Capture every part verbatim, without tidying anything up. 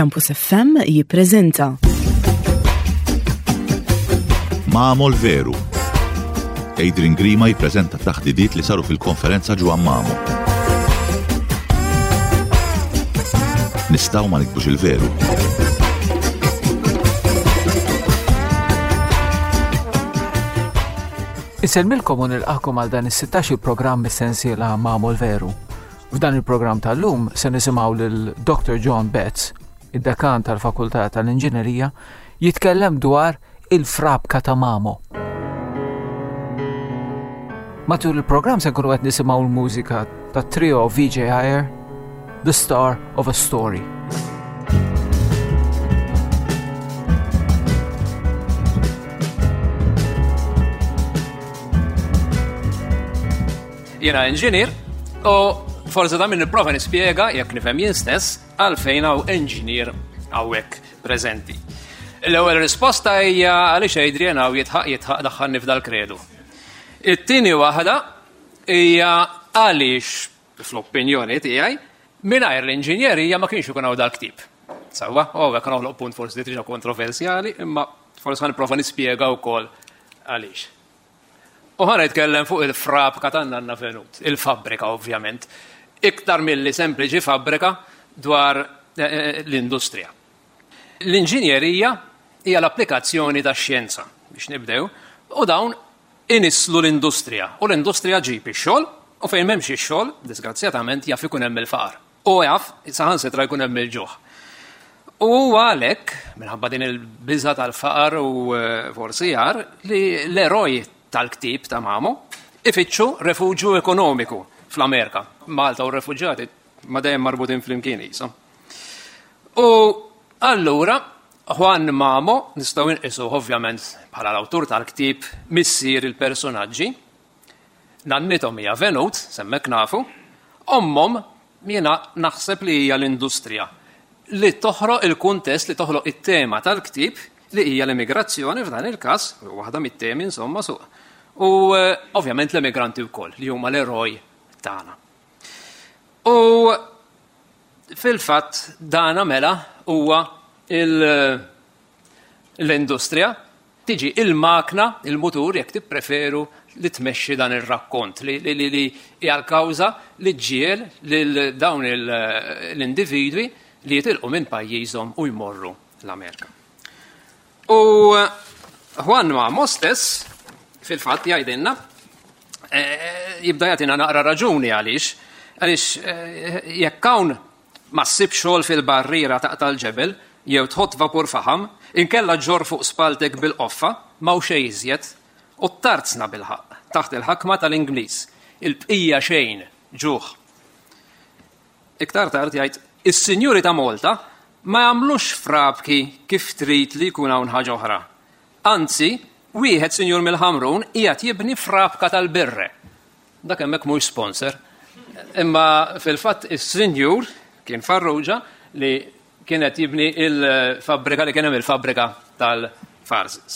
Campus F M jippreżenta Mamo l-Veru. Adrian Grima jippreżenta taħdidiet li saru fil-konferenza Ġwann Mamo. Nistgħu ma niktbux il-veru. Insellmilkom u nilqakom għal dan is-sittax il-programm mis-sensiela Mamo l-Veru. F'dan il-programm tal-lum se nisimgħu lil Doctor John Betts, id-dekan tal-Fakultà tal-Inġinerija, jitkellem dwar il-frabka ta' Mamo. Matul il-programm se nkunu qed nisimgħu l-mużika tat-trio V J Iyer, The Star of a Story. Jiena engineer u forsi da minn nipprova nispjega, jekk nifhem jien stess, għalfejn hawn engineer hawnhekk preżenti. L-ewwel risposta hija għaliex Adrian hawn jitħaq jitħaq daħħalni f'dal-kredu. It-tieni waħda hija għaliex, fl-opinjoni tiegħi, mingħajr l-inġinjerija ma kienx ikun hawn dal-ktieb. Sewwa, u hawnhekk noħloq punt forsi diġà kontroversjali, imma forsi ħa nipprova nispjega wkoll għaliex. U ħa nitkellem fuq il-frabka tan-nanna Venut, il-fabbrika ovvjament, iktar milli sempliċi fabbrika dwar eh, eh, l-industrija. L-inġinjerija hija l-applikazzjoni tax-xjenza biex nibdew, u dawn inisslu l-industrija. U l-industrija ġib ix-xogħol, u fejn m'hemmx ix-xogħol, disgrazzjatament jaf ikun hemm il-faqar. U jaf saħansitra jkun hemm il-ġuħ. U għalhekk, minħabba din il-biża tal-faqar u eh, forsi jar, li l-eroj tal-ktieb ta' Mamo ifittxu refuġju ekonomiku fl-Amerika. Malta u refuġjati ma dejjem marbutin flimkien qishom. U allura Juan Mamo nistgħu nqisu ovvjament bħala l-awtur tal-ktieb, missier il-personaġġi. Nannithom hija Venut, s'hemmhekk nafu, ommhom jiena naħseb li hija l-industrija li toħroq il-kuntest, li toħloq it-tema tal-ktieb, li hija l-immigrazzjoni f'dan il-każ, waħda mit-temi insomma suq. U eh, ovvjament l-immigranti wkoll li huma l-eroj tagħna. U fil-fatt dana mela huwa l-industrija tiġi il-makna, il-mutur, jekk tippreferu, li tmexxi dan ir-rakkont, li li li hija l-kawża li ġġiegħel lil dawn l-individwi li jitilqu minn pajjiżhom u jmorru l-Amerika. U Juan Mamo stess fil-fatt jgħidilna, eh, jibda jagħtina naqra raġuni għaliex, għaliex eh, jekk hawn ma ssib xogħol fil-barriera taqta' l-ġebel jew tħott vapur faħam, inkella ġorr fuq spaltek bil-qoffa, ma xejn iżjed, u tarzna bil-ħaqq taħt il-ħakma tal-Ingliż. Il-bqija xejn, ġuħ. Iktar tard jgħid, is-sinjuri ta' Malta ma jagħmlux frabki kif trid li jkun hawn ħaġa oħra. Anzi, wieħed sinjur mill-Ħamrun qiegħed jibni frabka tal-birre. Dak hemmhekk mhux sponsor. Imma fil-fatt is-sinjur kien Farrugia li kienet jibni il-fabbrika li kien hemm, il-fabbrika tal-Farzis.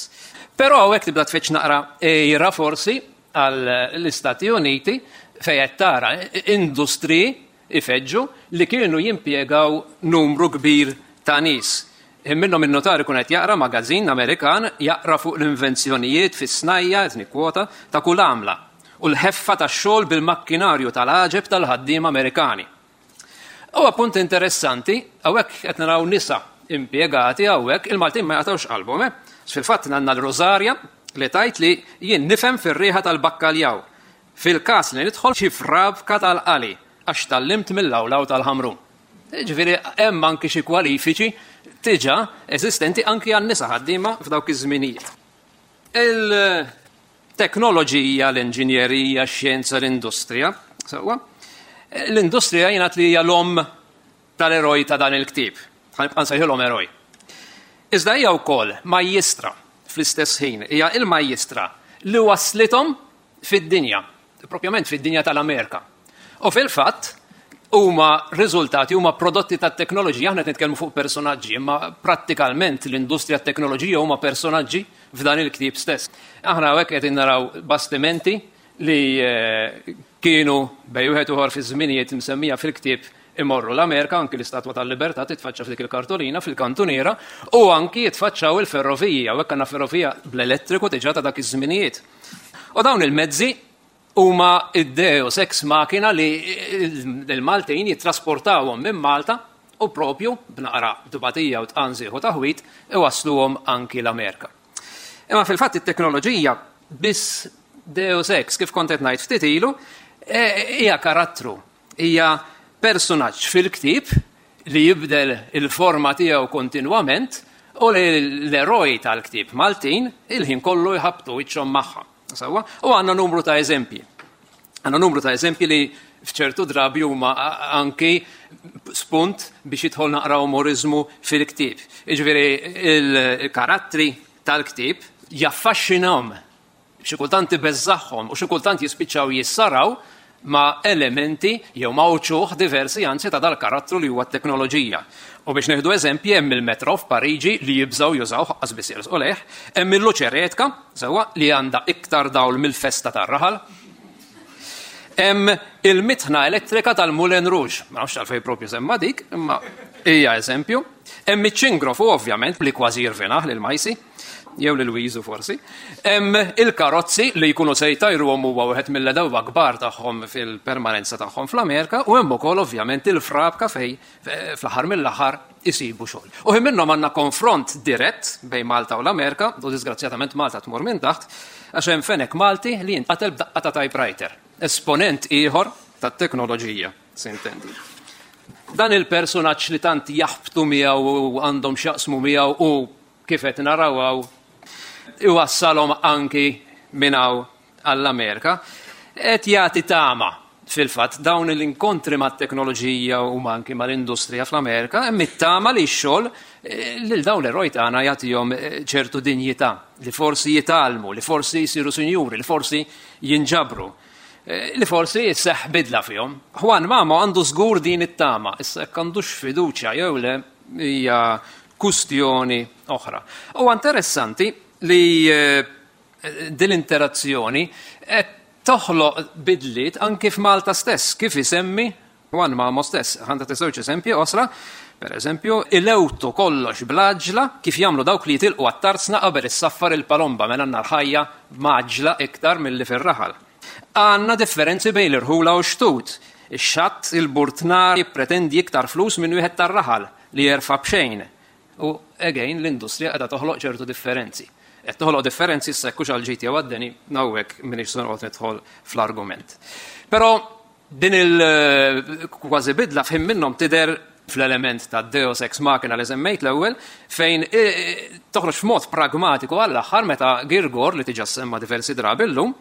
Però hawnhekk tibda tfetx naqra ejra forsi għall-Istati Uniti, fejn qed tara industri ifeġġu li kienu jimpjegaw numru kbir ta' nies. Minnhom in-notar ikun qed jaqra magażin Amerikan, jaqra fuq l-invenzjonijiet fis-snajja, qed nikkwota, ta' kull għamla u l-ħeffa tax-xogħol bil-makkinarju tal-għaġeb tal-ħaddiema Amerikani. U appunt interessanti, hawnhekk qed naraw nisa impjegati hawnhekk, il-Maltin ma jaqtawx qalbhom, eh? Fil-fatt għandna l-Rosaria li tgħid li jien nifhem fir-riħa tal-bakkaljaw. Fil-każ li nidħol xi frabka tal-qali għax tgħallimt mill-lawlaw tal-Ħamrun. Ġifieri hemm anki xi kwalifiċi diġà eżistenti anki għan-nisa ħaddiema f'dawk iż-żminijiet. Il-teknoloġija, l-inġinjerija, x-xjenza, l-industrija, sewwa, l-industrija jingħad li hija l-om tal-eroj ta' dan il-ktieb. Ħa nibqa' nsejħilhom eroj. Iżda hija wkoll majjistra fl-istess ħin, hija il-majjistra li waslithom fid-dinja, propjament fid-dinja tal-Amerika. U fil-fatt huma riżultati, huma prodotti tat-teknoloġija. Aħna qed nitkellmu fuq personaġġi, imma prattikalment l-industrija tat-teknoloġija huma personaġġi f'dan il-ktieb stess. Aħna hawnhekk qed naraw bastimenti li eh, kienu bejn wieħed ieħor fi żminijiet msemmija fil-ktieb imorru l-Amerika, anki l-Istatwa tal-Libertà titfaċċa f'dik il-kartolina fil-kantuniera, u anki jitfaċċaw il-ferrovija, u hekk għandna ferrovija bl-elettriku diġà ta' dak iż-żminijiet. U dawn il-mezzi huma id-deus ex machina li l-Maltin jittrasportawhom minn Malta u propju b'naqra tbatija u tqanżiħ u taħwit iwasluhom anki l-Amerika. Imma fil-fatt it-teknoloġija biss deus ex, kif kont qed ngħid ftit ilu, hija karattru, hija personaġġ fil-ktieb li jibdel il-forma tiegħu kontinwament u li l-eroj tal-ktieb Maltin il-ħin kollu jħabtu wiċċhom magħha. Sewwa? U għandna numru ta' eżempji. Għandna numru ta' eżempji li f'ċertu drabi huma anki spunt biex jidħol naqra umorizmu fil-ktieb. Jiġifieri il-karattri tal-ktieb jaffaxxinahom, xi kultant ibeżżagħhom u xi kultant jispiċċaw jissaraw ma' elementi jew ma' uċuħ diversi anzi ta' dal-karattru li huwa t-teknoloġija. U biex nieħdu eżempji, hemm il-metro f'Pariġi li jibżgħu jużaw ħaqqas biss jersqu lejh, hemm il-luċeretka, sewwa, li għandha iktar dawl mill-festa tar-raħal. Hemm il-mitħna elettrika tal-Moulin Rouge, ma nafx għalfejn propju semma dik, imma hija eżempju. Hemm iċ-ċingrofu ovvjament li kważi jirvinah lil Majsi, jew lil Wiżu forsi. Hemm il-karozzi li jkunu se jtajruhom huwa wieħed mill-edewwa kbar tagħhom fil-permanenza tagħhom fl-Amerika, u hemm ukoll ovvjament il-frabka fej fl-aħħar mill-aħħar isibu xogħol. U ħin minnhom għandna konfront dirett bejn Malta u l-Amerika, u disgrazzjatament Malta tmur minn taħt, għax hemm fenek Malti li jinqatel b'daqqa ta' typewriter, esponent ieħor tat-teknoloġija, sintendi. Dan il-personaġġ li tant jaħbtu miegħu u għandhom x'jaqsmu miegħu u kif qed naraw hawn iwassalhom anki minn hawn għall-Amerika, qed jagħti tama fil-fatt dawn l-inkontri mat-teknoloġija u anki mal-industrija fl-Amerika, hemm it-tama li x-xogħol lil dawn l-eroj tagħna jagħtihom ċertu dinjità, li forsi jitgħallmu, li forsi jsiru sinjuri, li forsi jinġabru, li forsi jisseħ bidla fihom. Juan Mamo għandu żgur din it-tama, issa jekk għandux fiduċja jew le hija kustjoni oħra. U interessanti li din l-interazzjoni qed toħloq bidliet anki f'Malta stess, kif isemmi Juan Mamo stess. Ħa nagħti żewġ eżempji osra. Per eżempju, ilewtu kollox bl-għaġla kif jagħmlu dawk li jitilqu għat-tarzna qabel issaffar il-palomba, mela għandna l-ħajja maġla iktar milli fir-raħal. Għandna differenzi bejn l-irħula u x-xtut. Ix-xatt il-burtnar jippretendi iktar flus minn wieħed tar-raħal li jerfa' b'xejn. U again l-industrija qiegħda toħloq ċertu differenzi. Qed toħloq differenzi issa jekk hux għal ġid jew għad-deni, hawnhekk m'iniex se noqgħod nidħol fl-argument. Però din il-kważi bidla f'ħin minnhom tidher fl-element ta' Deus ex machina li semmejt l-ewwel, fejn toħroġ f'mod pragmatiku għall-aħħar meta Girgor, li diġà semma diversi drabi llum,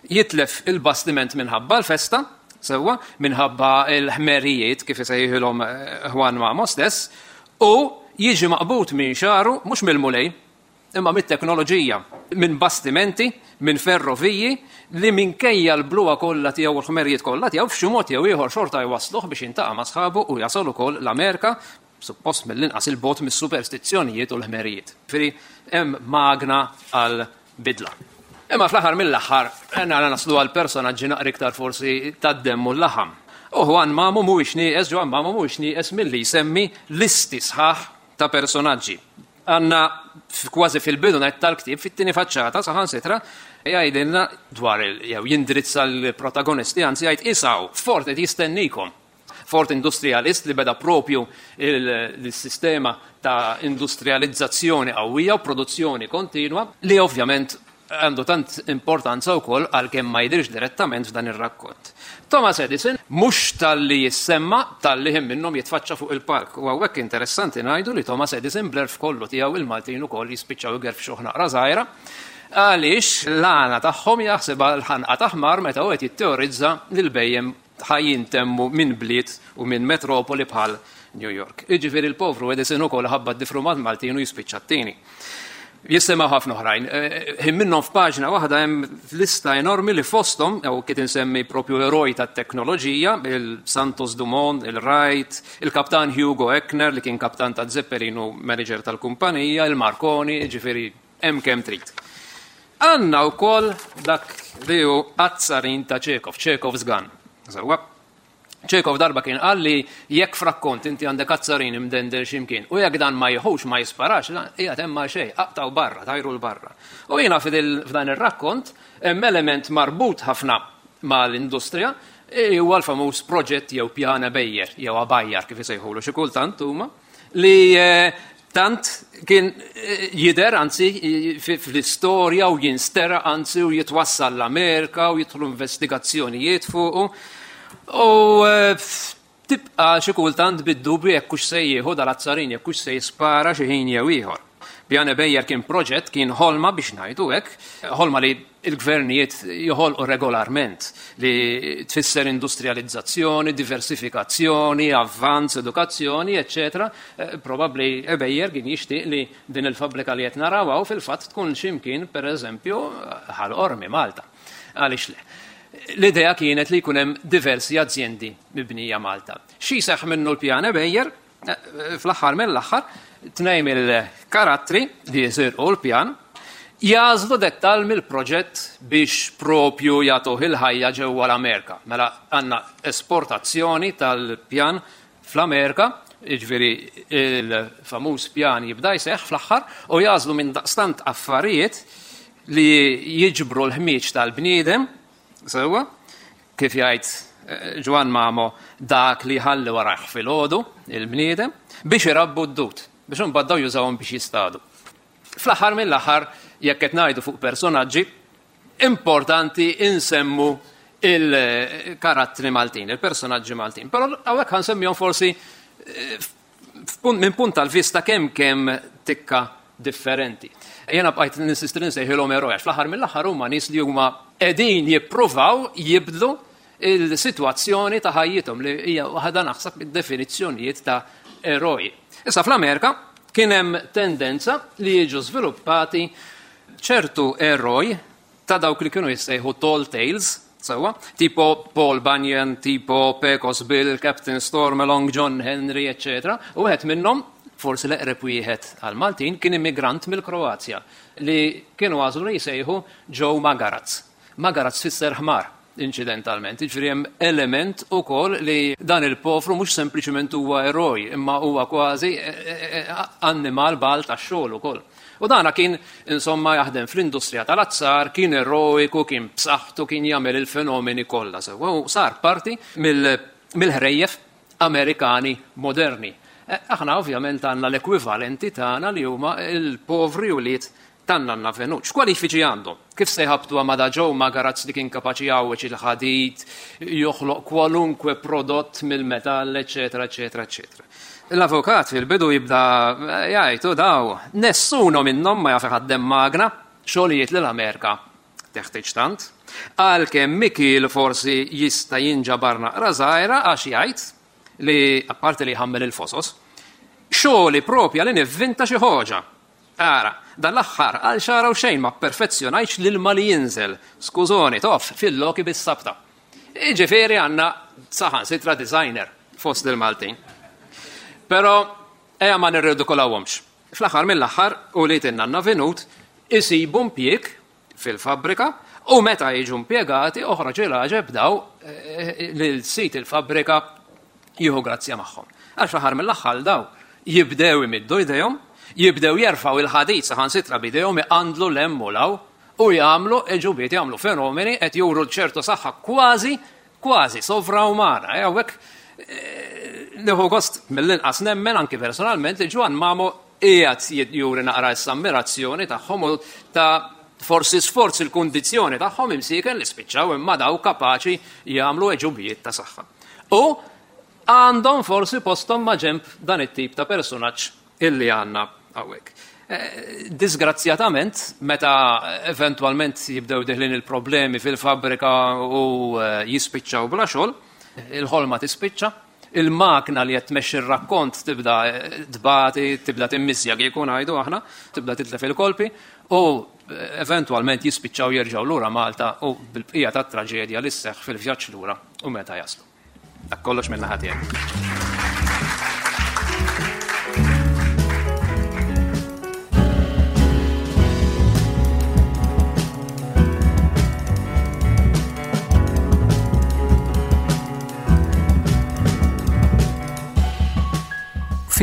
jitlef il-bastiment minħabba l-festa, sewwa, minħabba l-ħmerijiet kif isejħilhom Juan Mamo stess, u jiġi maqbud minn xaru, mhux mill-mulej, imma mit-teknoloġija, minn bastimenti, minn ferroviji, li minkejja l-bluha kollha tiegħu u l-ħmerijiet kollha tiegħu f'xi mod jew ieħor xorta jwasluh biex jintaqa' ma' sħabu u jasal ukoll l-Amerika, suppost mill-inqas il-bot mis-superstizzjonijiet u l-ħmerijiet. Ġifieri hemm magna għal bidla. Imma fl-aħħar mill-aħħar għandna naslu għal personaġġi naqra iktar forsi tad-demm u l-laħam. U Juan Mamo mhuwiex nieqes, Juan Mamo mhuwiex nieqes milli jsemmi listi sħaħ ta' personaġġi. Għandna kważi fil-bidu net tal-ktieb, fit-tieni faċċata, saħansitra, jgħidilna dwar il-, jew jindirizza l-protagonisti, anzi jgħid isaw, Ford qed jistennikom. Ford industrialist li beda propju il-sistema ta' industrializzazzjoni qawwija u produzzjoni kontinwa li ovvjament għandu tant importanza wkoll għalkemm ma jidhirx direttament f'dan ir-rakkont. Thomas Edison mhux talli jissemma talli ħin minnhom jitfaċċa fuq il-palk. U hawnhekk interessanti ngħidu li Thomas Edison bl-erf kollu tiegħu il-Maltin ukoll jispiċċaw igerfxuh naqra żgħira, għaliex l-għana tagħhom jaħsibha l-ħanqa ta' ħmar meta hu qed jitteorizza li l-bejjem ħajjintemmu minn bliet u minn metropoli bħal New York. Jiġifieri l-povru Edison ukoll ħabba d-difrumat Maltin u jispiċċa t-tieni. Jissemgħu ħafna oħrajn. Ħin minnhom f'paġna waħda hemm lista enormi li fosthom, jew kif insemmi propju eroj tat-teknoloġija, il-Santos Dumont, il-Wright, il-kaptan Hugo Eckener li kien kaptan ta' Zeppelin u manager tal-kumpanija, il-Marconi, ġifieri hemm kemm trid. Għandna wkoll dak li hu azzarin ta' Chekhov, Chekhov's gun. Sewwa. Chekhov darba kien qal li jekk f'rakkont inti għandek azzarin imdendel x'imkien u jekk dan ma jieħux ma jisparax, qiegħed hemm ma xejn, aqtaw barra, tajru l barra. U jiena f'dan ir-rakkont hemm element marbut ħafna mal-industrija huwa l-famuż proġett jew pjana bejjer jew abajjar kif isejħulu xi kultant huma li tant kien jidher anzi fl-istorja u jinstera anzi u jitwassal l-Amerika u jidħlu investigazzjonijiet fuqu. U tibqa xi kultant bid-dubju jekk hux se jieħu dal-azzarin, jekk hux se jispara xi ħin jew ieħor. Pjane Bejjer kien proġett, kien ħolma biex ngħidu hekk, ħolma li l-gvernijiet joħolqu regolarment, li tfisser industrializzazzjoni, diversifikazzjoni, avvanz, edukazzjoni, eċċetera. Probabbli Bejjer kien jixtieq li din il-fabbrika li qed naraw hawn fil-fatt tkun x'imkien pereżempju Ħal Qormi Malta. Għaliex le? L-idea kienet li jkun hemm diversi azjendi mibnija Malta. Xi seħħ minnu l-pjane Bejjer, fl-aħħar mill-aħħar, tnejn mill-karattri li jisirqu l-pjan jażlu dettal mill-proġett biex propju jagħtuh il-ħajja ġewwa l-Amerika. Mela għandna esportazzjoni tal-pjan fl-Amerika, jiġifieri il-famuż pjan jibda jseħħ fl-aħħar, u jażlu minn daqstant affarijiet li jiġbru l-ħmieġ tal-bniedem, sewwa, kif jgħid Ġwann Mamo, dak li ħalli warajh filgħodu il-bniedem biex irabbu d-dud, biex imbagħad daw jużawhom biex jistadu. Fl-aħħar mill-aħħar, jekk qed ngħidu fuq personaġġi, importanti insemmu il-karattri Maltin, il-personaġġi Maltin. Però hawnhekk ħansemmihom forsi minn punt tal-vista kemm kemm tikka differenti. Jena bqajt ninsisti nsejħilhom eroj, għax fl-aħħar mill-aħħar huma nies li huma qegħdin jippruvaw jibdlu il-sitwazzjoni ta' ħajjithom li hija waħda naħseb mid-definizzjonijiet ta' eroj. Issa fl-Amerika kien hemm tendenza li jiġu żviluppati ċertu eroj ta' dawk li kienu jissejħu tall tales, sewwa, tipo Paul Bunyan, tipo Pecos Bill, Captain Stormalong, John Henry, eċċetera. U wieħed minnhom, forsi l-eqreb wieħed għal-Maltin, kien immigrant mill-Kroazja li kienu għażlu li jsejħu Joe Magaraz. Magaraz fisser ħmar, inċidentalment. Jiġifieri hemm element ukoll li dan il-pofru mhux sempliċement huwa eroj, imma huwa kważi annimal bal tax-xogħol ukoll. U dana kien insomma jaħdem fl-industrija tal-azzar, kien eroiku, kien b'saħħtu, kien jagħmel il-fenomeni kollha sewwa u sar parti mill-ħrejjef Amerikani moderni. Aħna ovvjament għandna l-ekwivalenti tagħna li huma l-povri ulied tan-nanna Venuċ. X'kwalifiċi għandhom? Kif se jħabtu ma' da Joe Magaraz li kien kapaċi jgħawweġ il-ħadid, joħloq kwalunkwe prodott mill-metall, eċetera, eċetera, eċetera. L-avukat fil-bidu jibda jgħid daw, nessuno minnhom ma jaf iħaddem magna, xogħlijiet li l-Amerika teħtieġ tant. Għalkemm Mikil forsi jista' jinġabar naqra żgħira għax jgħid li apparti li jħammel il-fosos, xogħli propja li nivvinta xi ħoġa. Ara, dan l-aħħar għal xara u xejn ma perfezzjonajtx l-ilma li jinżel, skużoni, tof, fil-loki bis-sabta. Jiġifieri għandna saħansitra designer fost il-Maltin. Però ejja ma nirridikolawhomx. Fl-aħħar mill-aħħar u li tinnanna Venut isibu impjieg fil-fabbrika u meta jiġu impjegati oħroġ il-għaġeb daw lil sit il-fabbrika jieħu grazzja magħhom. Għax fl-aħħar mill-aħħar daw jibdew imiddu jdejhom, jibdew jerfgħu il-ħadid saħansitra b'idejhom iqandlu l-hemm u law u jagħmlu eġubiet, jagħmlu fenomeni qed juru ċertu saħħa kważi kważi sovraumana. Hawnhekk nieħu gost mill-inqas nemmen anki personalment li Ġwann Mamo qiegħed juri naqra s-ammirazzjoni tagħhom u ta' forsi sforz il-kundizzjoni tagħhom imsieken li spiċċaw imma daw kapaċi jagħmlu eġubijiet ta' saħħa. U għandhom forsi posthom ma' ġenb dan it-tip ta' personaġġ illi għandna hawnhekk. Disgrazzjatament, meta eventwalment jibdew diħlin il-problemi fil-fabbrika u jispiċċaw bla xogħol, il-ħolma tispiċċa, il-makna li qed tmexxi r-rakkont tibda tbati, tibda timmissja kieku ngħidu aħna, tibda titlef il-kolpi u eventwalment jispiċċaw jerġgħu lura Malta u bil-bqija tat-traġedja li sseħħ fil-vjaġġ lura u meta jaslu. Dak kollox minn naħa tiegħi.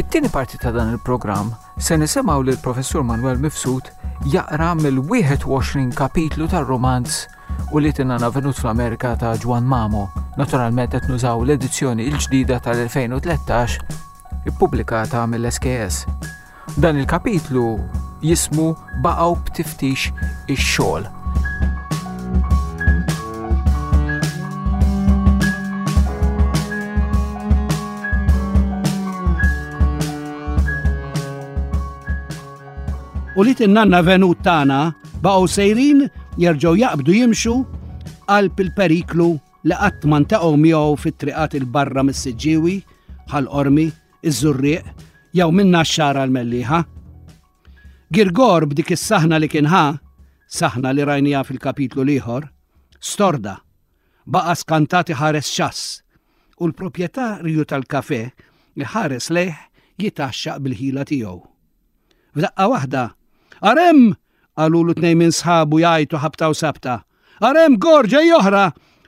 Fit-tieni parti ta' dan il-programm se nisimgħu lil Professur Manuel Mifsud jaqra mill-wieħed u għoxrin kapitlu tar-romanz Ulied in-Nanna Venut fl-Amerika ta' Juan Mamo. Naturalment qed nużaw l-edizzjoni l-ġdida tal-elfejn u tlettax ippubblikata mill-S K S. Dan il-kapitlu jismu Baqgħu b'tiftix ix-xogħol. Ulied in-nanna Venut tagħna baqgħu sejrin jerġgħu jaqbdu jimxu qalb il-periklu li qatt ma ntaqgħu miegħu fit-triqat il-barra mis-Siġġiewi, Ħal Qormi, iż-Żurrieq jew minn Naxxar għall-Mellieħa. Girgor b'dik is-saħna li kien ħa, saħna li rajniha fil-kapitlu l-ieħor, storda, baqa' skantat iħares xass u l-proprjetarju tal-kafe li ħares lejh jitaxxaq bil-ħila tiegħu. F'daqqa waħda, Arem! Qalulu tnejn minn sħabu jgħajtu ħabta u sabta. Arem, Gor, ġej oħra!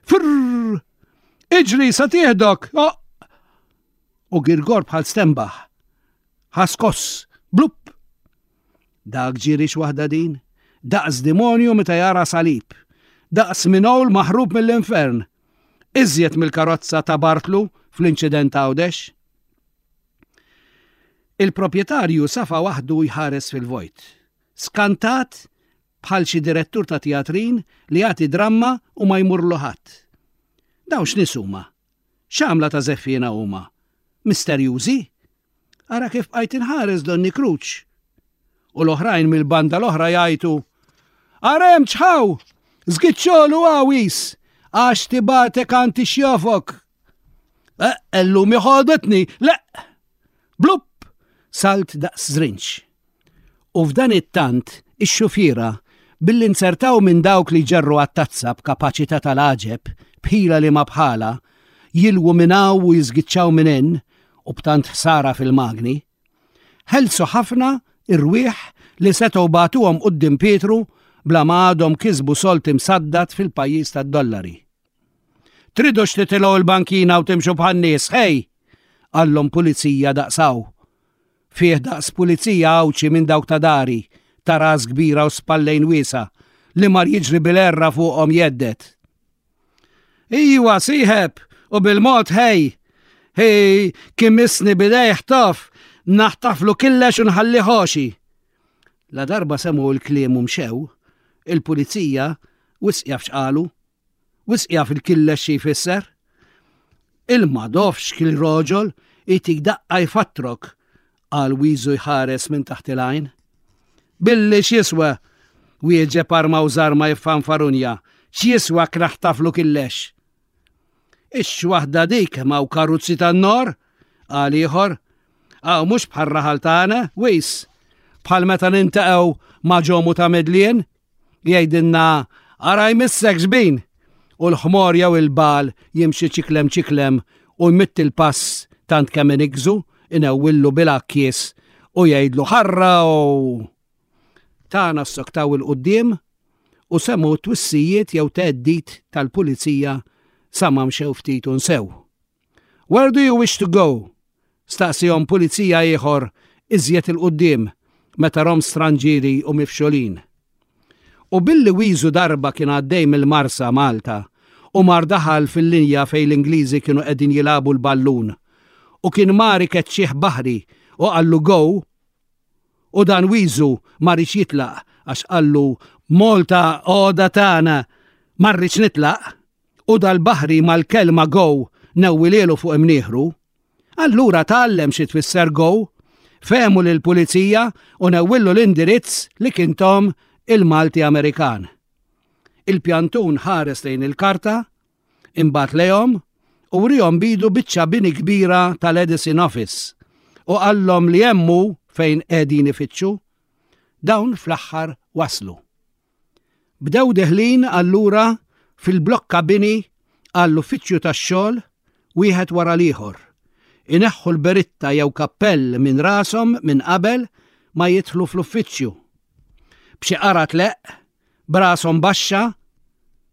Frrrr! Iġri, sa tieħdok! Oh! U Girgor bħal stenbaħ. Ħaskoss, blupp! Dak ġirix waħda din, daqs demonju meta jara salib, daqs minowl maħrub mill-infern, iżjed mill-karozza ta' Bartlu fl-inċident Għawdex. Il-proprjetarju safa waħdu jħares fil-vojt, skantat bħal xi direttur ta' teatrin li jagħti dramma u ma jmurlu ħadd. Dawn x'nies huma? X'għamla ta' żeffiena huma? Misterjużi? Ara kif bqajt inħares Donni Kruċ. U l-oħrajn mill-banda l-oħra jgħajtu, Arem ċħaw! Żgiċċolu għawis! Għax tibatek anti xjofok! Eh, ellum iħodetni! Le! Blupp! Salt daqs żrinċ. U f'dan it-tant, ix-xufiera, billi nsertaw minn dawk li ġerru għat-tazza b'kapaċità tal-għaġeb, bħila li ma bħala, jilwu minn hawn u jiżgiċċaw minn hemm, u b'tant ħsara fil-magni, ħelsu ħafna irwieħ li setgħu bagħtuhom quddiem Pietru bla ma għadhom kisbu solt imsaddat fil-pajjiż tad-dollari. Tridux titilgħu l-bankina u timxu bħan-nies, ħej! Qallhom pulizija daqsaw. Fih daqs pulizija Għawdxi minn dawk ta' dari, ta' ras kbira u spallejn wiesa, li mar jiġri bil-erra fuqhom jeddet. Iwa, sieħeb, u bil-mod ħej! Ħej, kien misni bidejh tof, naħtaflu killex u nħalli ħoxi. La darba semgħu l-kliem u mxew, il-pulizija wisq jaf x'qalu, wisq jaf il-killex xi jfisser. Il-madofx kil roġol itik daqqa jfattrok, qal Wiżu jħares minn taħt il-għajn. Billi x'jiswa, wieġeb arma u żarma jiffanfarunja, x'jiswa kraħtaflu killex. Ix waħda dik ma' karuzzi tan-nor, qal ieħor, għaw mhux bħal raħal tagħna, wis, bħal meta nintaqgħu ma' ġomu ta' Medlien, jgħidilna ara jmissek xbin, u l-ħmor jew il-bal jimxi ċiklem ċiklem u jmitt il-pass tant kemm inigżu, inewwillu bil-akkies u jgħidlu ħarra u tagħna ssoktaw il-quddiem u semmu twissijiet jew theddid tal-pulizija sa ma mxew ftit u nsew. Where do you wish to go? Staqsihom pulizija ieħor iżjed il-quddiem meta rom stranġieri u mifxulin. U billi Wiżu darba kien għaddej mill-Marsa Malta u mar daħal fil-linja fejn l-Ingliżi kienu qegħdin jilagħbu l-ballun u kien mar ikeċċih baħri u qallu go, u dan Wiżu ma rridx jitlaq għax qallu Malta għoda tagħna ma rridx nitlaq, u dal-baħri mal-kelma go newwilielu fuq imnieħru. Allura tgħallem xi tfisser go, fehmu lill-pulizija u newwillu l-indirizz li kien tom il-Malti Amerikan. Il-pjantun ħares lejn il-karta, imbagħad lejhom u wrihom bidu biċċa bini kbira tal-Edison Office u qallhom li hemmu fejn qegħdin ifittxu. Dawn fl-aħħar waslu. Bdew deħlin allura fil-blokka bini għall-uffiċċju tax-xogħol wieħed wara l-ieħor. Ineħħu l-beritta jew kappell minn rashom minn qabel ma jidħlu fl-uffiċċju. B'xi qara tleqq, b'rashom baxxa,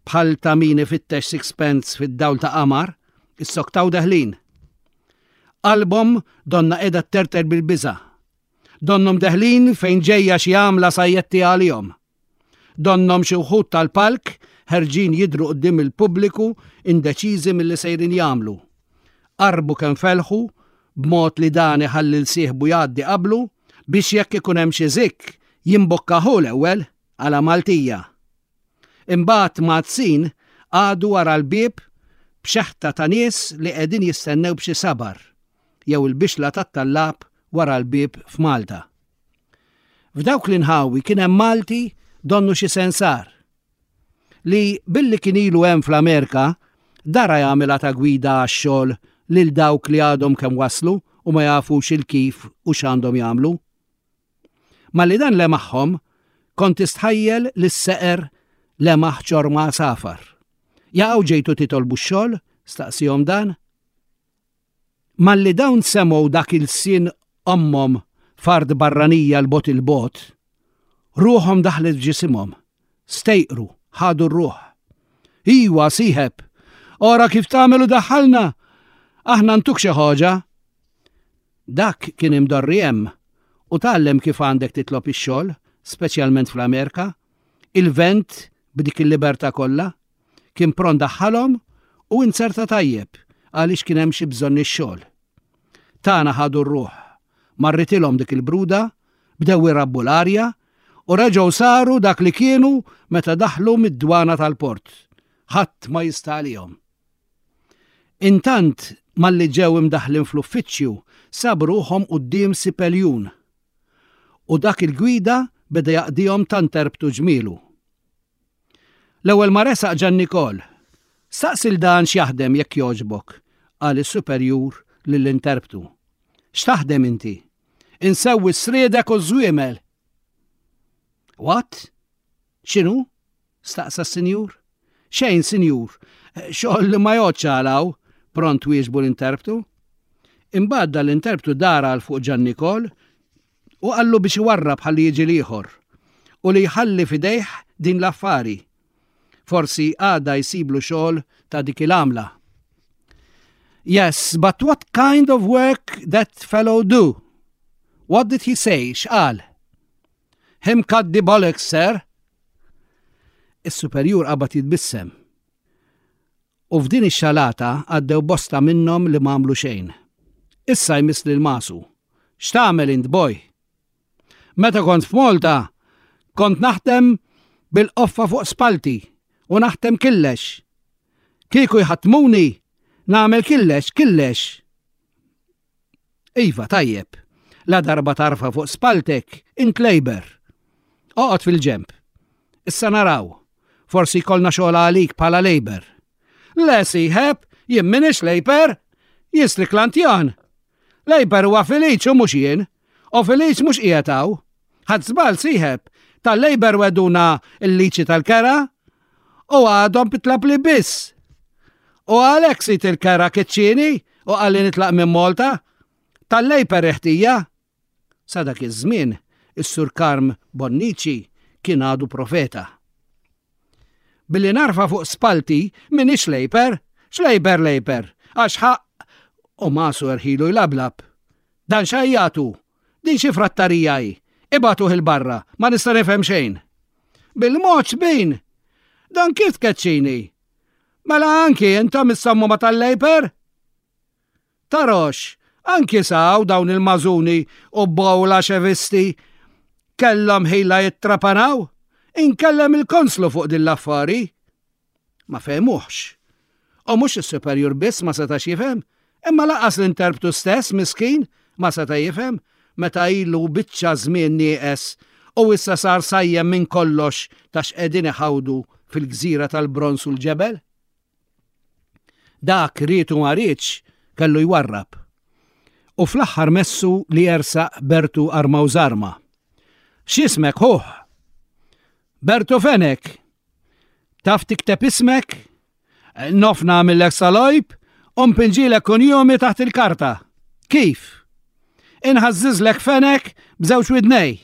bħal ta' min ifittex sixpence fid-dawl ta' qamar, issoktaw deħlin. Qalbhom donnha qiegħda tterter bil-biża'. Donnhom deħlin fejn ġejja xi għamla sajjetti għalihom. Donnhom xi wħud tal-palk ħerġin jidhru quddiem il-pubbliku, indeċiżi milli sejrin jagħmlu. Qarbu kemm felħu b'mod li dan iħalli 'l sieħbu jgħaddi qablu biex jekk ikun hemm xi zikk jimbokka hu l-ewwel għala Maltija. Imbagħad mgħaddsin qagħdu wara l-bieb b'xeħta ta' nies li qegħdin jistennew b'xi sabar jew il-bixla tat-tallab wara l-bieb f'Malta. F'dawk l-inħawi kien hemm Malti, donnu xi sensar, li billi kien ilu hemm fl-Amerika dara jagħmilha ta' gwida għax-xogħol lil dawk li għadhom kemm waslu u ma jafux il-kif u x'għandhom jagħmlu. Malli dan lemaħhom, kont tistħajjel li s-seqer lemaħ ċorma safar. "Jaqgħu ġejtu titolbu x-xogħol?" staqsihom dan. Malli dawn semgħu dak il-sin ommhom f'art barranija 'l bogħod 'il bogħod, ruħhom daħlet f'ġisimhom, stejqru, ħadu r-ruħ. "Iwa, sieħeb, ora kif tagħmel u daħħalna, aħna ntuk xi ħaġa." Dak kien imdorri hemm u tgħallem kif għandek titlob ix-xogħol, speċjalment fl-Amerika, il-vent b'dik il-libertà kollha, kien pront daħħalhom u inzerta tajjeb għaliex kien hemm xi bżonn ix-xogħol. Tana ħadu r-ruħ, marritilhom dik il-bruda, bdew irabbu l-arja u reġgħu saru dak li kienu meta daħlu mid-dwana tal-port. Ħadd ma jista' għalihom. Intant malli ġew imdaħlin fl-uffiċċju sabu ruħhom quddiem sipeljun. U dak il-gwida beda jaqdihom ta' interpretu ġmielu. L-ewwel ma resaq Ġan Nikol. "Staqsi 'l dan x'jaħdem jekk jogħġbok," qal is-superjur lill-interpretu. "X'taħdem inti?" "Insewwi s-sriedek u żwiemel." "What? X'inhu?" staqsa s-sinjur. "Xejn, sinjur, xogħol li ma jgħoddx għalaw," pront wieġbu l-interpretu. Imbagħad l-interpretu dar għal fuq Ġan Nikol u qallu biex iwarrab ħalli jiġi l-ieħor u li jħalli fidejh din l-affari. Forsi għada jsiblu xogħol ta' dik il-għamla. "Yes, but what kind of work that fellow do? What did he say? X'qal?" "Him cut the bollocks, sir." Is-superjur qabad jitbissem. U f'din ix-xalata għaddew bosta minnhom li m'għamlu xejn. Issa jmiss lil Masu. "X'tagħmel int, boy?" "Meta kont f'Malta, kont naħdem bil-qoffa fuq spalti u naħdem killex. Kieku jħaddmuni, nagħmel killex, killex." "Iva, tajjeb. La darba tarfa fuq spaltek, int labor. Oqgħod fil-ġemp. Issa naraw. Forsi jkollna xogħol għalik bħala labor." "Le, sieħeb, jien m'iniex labor, jien striklantjan. Labor huwa Feliċ u mhux jien. U Feliċ mhux qiegħed hawn. Ħadt żball, sieħeb, tal-labor wegħduna il-liċi tal-kera u għadhom pitlapli biss. U għalhekk sid il-kera keċċieni u qalli nitlaq minn Malta. Tal-labor ħtija." Sa dak iż-żmien, is-Sur Karm Bonnici kien għadu profeta. "Billi narfa fuq spalti m'iniex labor, x'labor labor, għax ħaq." U Masu erħilu jlablab. "Dan xajjatu, din xi frattarija hi, ibagħtuh 'il barra, ma nista' nifhem xejn. Bil-mod bin, dan kif tkeċċini? Mela anki intom issammu ma tal-labor? Tarox, anki saw dawn il-mażuni u bawla xevisti kellhom ħila jittrapanaw, inkellem il-konslu fuq din l-affari." Ma fehmuhx. U mhux is-superjur biss ma setax jifhem, imma lanqas l-interpretu stess miskin ma seta' jifhem meta ilu biċċa żmien nieqes u issa sar sajjem minn kollox ta' x'qegħdin iħawdu fil-gżira tal-bronz u l-ġebel. Dak ried u ma riedx kellu jwarrab. U fl-aħħar messu li jersaq Bertu Arma u Zarma. "X'ismek, ħuh?" "Bertu Fenek." "Taf tikteb ismek? Nof nagħmillek salojb u npinġilek kunjomi taħt il-karta." "Kif?" "Inħażżiżlek Fenek b'żewġ widnej."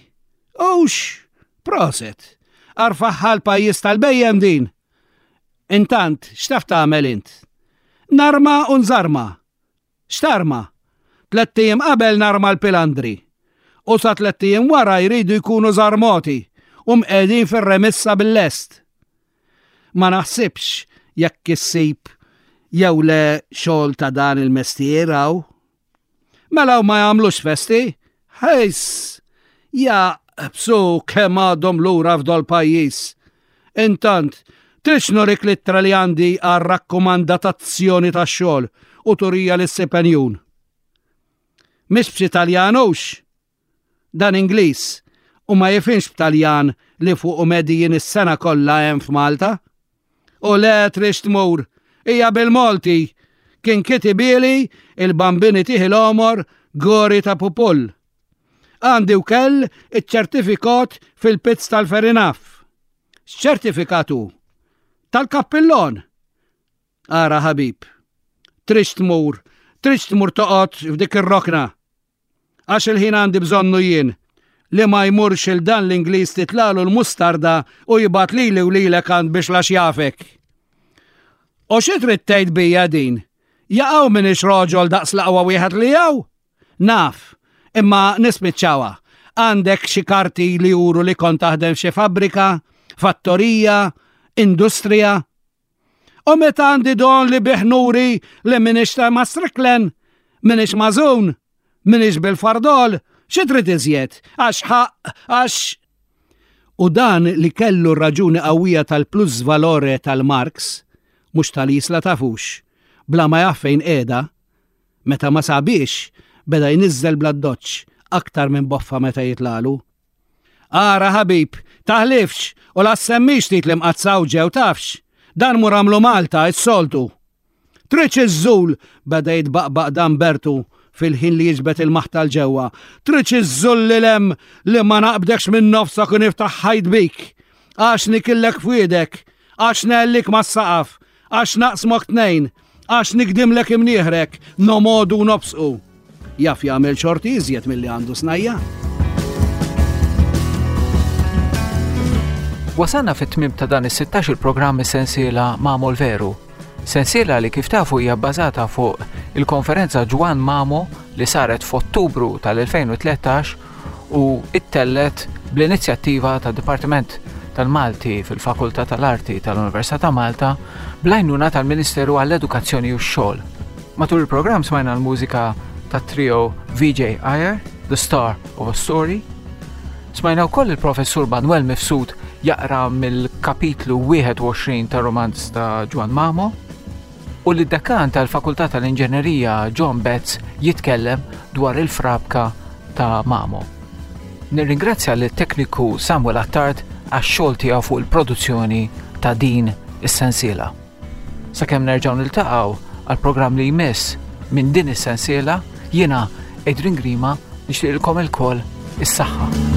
"Ux, prosit. Arfaħħa l-pajjiż tal-bejjem din. Intant, x'taf tagħmel int?" "Narma u nżarma." "X'tarma?" Tlett ijiem qabel narma l-pilandri. U sa tlett ijiem wara jridu jkunu żarmoti u mqegħdin fir-remissa bil-lest. Ma naħsibx jekk issib jew le xogħol ta' dan il-mestier hawn. Mela ma jagħmlux festi? Ħejs! Ja, bsu kemm għadhom lura f'dol pajjiż. Intant, tridx nurik l-ittra li għandi għal rakkomandatazzjoni tax-xogħol u turija lis-sipenjun. Mhix b'xi Taljanux. Dan Ingliż u ma jifhimx b'Taljan li fuq medijin is-sena kollha hemm f'Malta. U le tridx tmur, hija bil-Malti, kien kitibieli il-bambini tiħi l-omor gori ta' pupull. Għandi wkoll iċ-ċertifikat fil-pizz tal-Ferinaf. X'ċertifikatu? Tal-kappillon. Ara ħabib, tridx tmur, tridx tmur toqgħod f'dik ir-rokna. Għax il-ħin għandi bżonnu jien li ma jmurx il dan l-Ingliż titlalu l-mustarda u jibgħat lili u lilek għand biex lax jafek. U xi trid tgħid bija din? Jaqgħu m'iniex roġol daqs l-aqwa wieħed li jaw? Naf, imma nispiċċawha. Għandek xi karti li juru li kont taħdem xi fabbrika, fattorija, industrija. U meta għandi don li bih nuri li m'iniex ta' Mastriklen, m'iniex mażun, m'iniex bil-fardol, xi trid iżjed? Għax ħaq, għax. U dan li kellu raġuni qawwija tal-plus valore tal-Marx, mhux tal-isla tafux, bla ma jaf fejn qiegħda, meta ma sabiex, beda jniżżel bla doċ aktar minn boffa meta jitlalu. Ara ħabib, taħlifx u la semmix tit li mqazzaw ġew tafx. Dan mur għamlu Malta, is-soltu. Tridx iżżul, beda jitbaqbaq dan Bertu fil-ħin li jiġbet il-maħta l-ġewwa. Tridx iżżul li lem li ma naqbdekx minn nofsok u niftaħ ħajt bik. Għax nikillek fwiedek, għax nellik mas-saqaf, għax naqsmok tnejn, għax nikdimlek imnieħrek, nomodu nobsqu. Jaf jagħmel xorti iżjed milli għandu snajja. Wasalna fit-tmiem ta' dan is-sittax il-programm sensiela Mamo l-Veru. Sensiela li kif tafu hija bbażata fuq il-konferenza Ġwan Mamo li saret f'Ottubru tal-elfejn u tlettax u ittellet bl-inizjattiva tad-Dipartiment tal-Malti fil-Fakultà tal-Arti tal-Università ta' Malta bl-għajnuna tal-Ministeru għall-Edukazzjoni u x-Xogħol. Matul il-programm smajna l-mużika tat-trio V J Iyer, The Star of a Story. Smajna wkoll il-professur Manuel Mifsud jaqra mill-kapitlu wieħed u għoxrin tar-romanz ta' Ġwann Mamo u li d-dekan tal-Fakultà tal-Inġenerija John Betts jitkellem dwar il-frabka ta' Mamo. Nirringrazzja lit-tekniku Samuel Attard għax-xogħol tiegħu fuq il-produzzjoni ta' din is-sensiela. Sakemm nerġgħu niltaqgħu għall-programm li jmiss minn din is-sensiela, jiena Adrian Grima nixtieqilkom ilkoll is-saħħa.